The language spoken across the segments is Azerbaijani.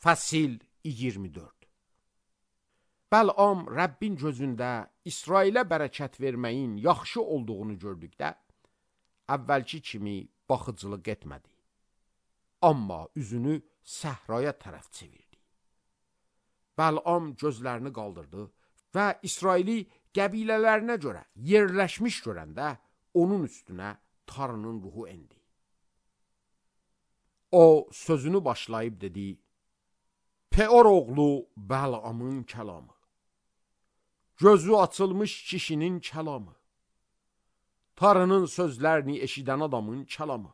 Fəsil 24. Bəl'am Rəbbin gözündə İsrailə bərəkət verməyin yaxşı olduğunu gördükdə, əvvəlki kimi baxıcılıq etmədi. Amma üzünü səhraya tərəf çevirdi. Bəl'am gözlərini qaldırdı və İsraili qəbilələrinə görə yerləşmiş görəndə onun üstünə Tanrının ruhu endi. O sözünü başlayıb dedi: Peor oğlu Bəl'amın kəlamı, gözü açılmış kişinin kəlamı, Tanrının sözlərini eşidən adamın kəlamı,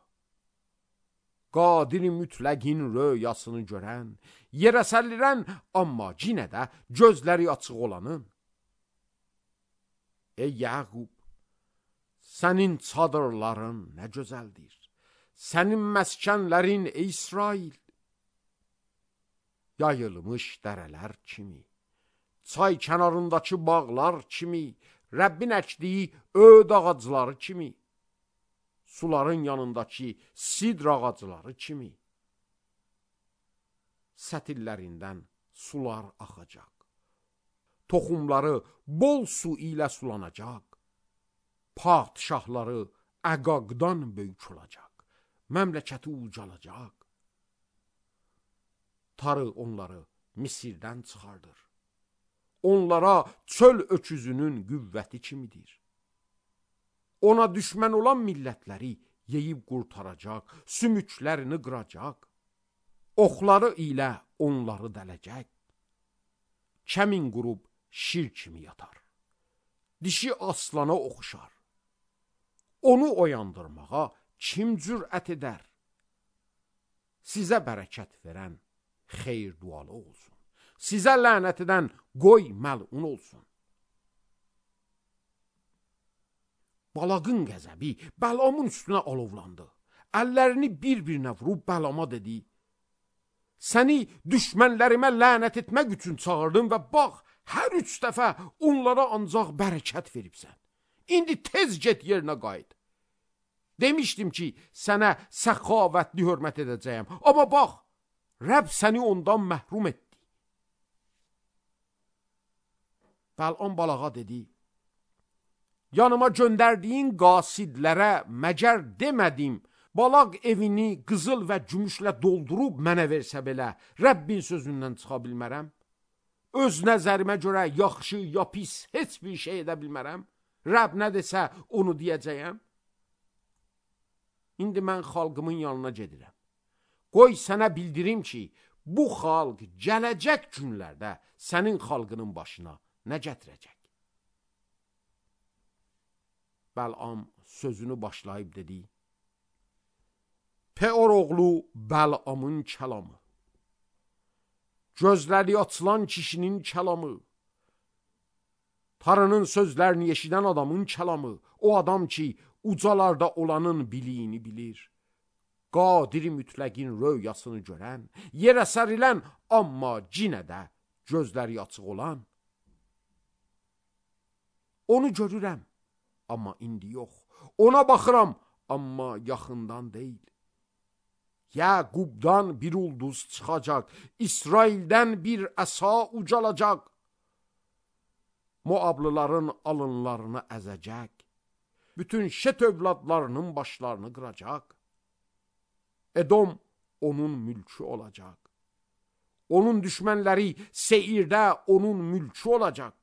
Qadir-i mütləqin röyasını görən, yerə sərilən, amma yenə də gözləri açıq olanın. Ey Yaqub, sənin çadırların nə gözəldir, sənin məskənlərin ey İsrail, yayılmış dərələr kimi, çay kənarındakı bağlar kimi, Rəbbin əkdiyi öd ağacları kimi, suların yanındakı sidr ağacları kimi, sətirlərindən sular axacaq, toxumları bol su ilə sulanacaq, padişahları əqaqdan böyük olacaq, məmləkəti ucalacaq. Tarı onları Misirdən çıxardır. Onlara çöl öküzünün qüvvəti kimidir. Ona düşmən olan millətləri yeyib qurtaracaq, sümüklərini qıracaq, oxları ilə onları dələcək. Kəmin qurub şir kimi yatar, dişi aslana oxşar. Onu oyandırmağa kim cürət edər? Sizə bərəkət verən xeyir dualı olsun. Sizə lənət edən qoy məlun olsun. Balağın qəzəbi Bəl'amın üstünə alovlandı. Əllərini bir-birinə vurub Bəl'ama dedi: Səni düşmənlərimə lənət etmək üçün çağırdım və bax, hər 3 dəfə onlara ancaq bərəkət veribsən. İndi tez get yerinə qayıt. Demişdim ki, sənə səxavətli hörmət edəcəyəm. Amma bax, Rəbb səni ondan məhrum etdi. Bəl'am balağa dedi: Yanıma göndərdiyin qasidlərə məgər demədim, balaq evini qızıl və gümüşlə doldurub mənə versə belə, Rəbbin sözündən çıxa bilmərəm? Öz nəzərimə görə yaxşı ya pis heç bir şey edə bilmərəm? Rəbb nə desə onu deyəcəyəm? İndi mən xalqımın yanına gedirəm. Qoy sənə bildirim ki, bu xalq gələcək günlərdə sənin xalqının başına nə gətirəcək? Bəl'am sözünü başlayıb dedi: Peor oğlu Bəl'amın kəlamı, gözləri açılan kişinin kəlamı, Tanrının sözlərini eşidən adamın kəlamı, o adam ki, ucalarda olanın biliyini bilir, Qadir-i mütləqin röyasını görən, yerə sərilən, amma yenə də gözləri açıq olan. Onu görürəm, amma indi yox. Ona baxıram, amma yaxından deyil. Yaqubdan bir ulduz çıxacaq, İsraildən bir əsa ucalacaq. Moablıların alınlarını əzəcək, bütün Şet övladlarının başlarını qıracaq. Edom onun mülkü olacaq. Onun düşmənləri Seirdə onun mülkü olacaq.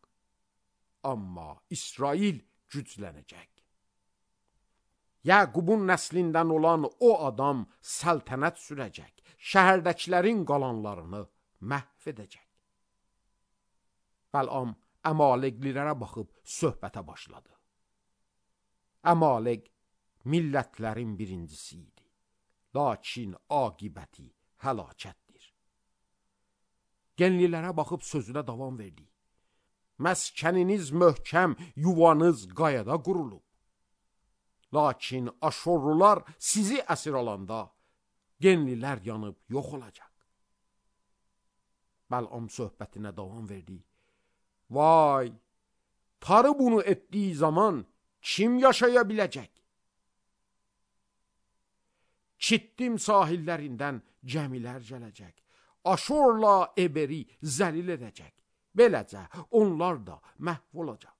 Amma İsrail güclənəcək. Yaqubun nəslindən olan o adam səltənət sürəcək, şəhərdəkilərin qalanlarını məhv edəcək. Bəl'am Əmaleqlilərə baxıb söhbətə başladı. Əmaleq millətlərin birincisi idi. Lakin aqibəti həlakətdir. Genlilərə baxıb sözünə davam verdi. Məskəniniz möhkəm, yuvanız qayada qurulub. Lakin Aşorlular sizi əsir alanda genlilər yanıb yox olacaq. Bəl'am söhbətinə davam verdi. Vay, Tarı bunu etdiyi zaman kim yaşaya biləcək? Kittim sahillərindən gəmilər gələcək. Aşorla Eberi zəlil edəcək. Beləcə onlar da məhv olacaq.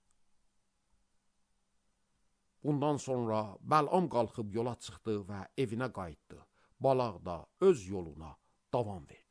Bundan sonra Bəlam qalxıb yola çıxdı və evinə qayıtdı. Balaq da öz yoluna davam verdi.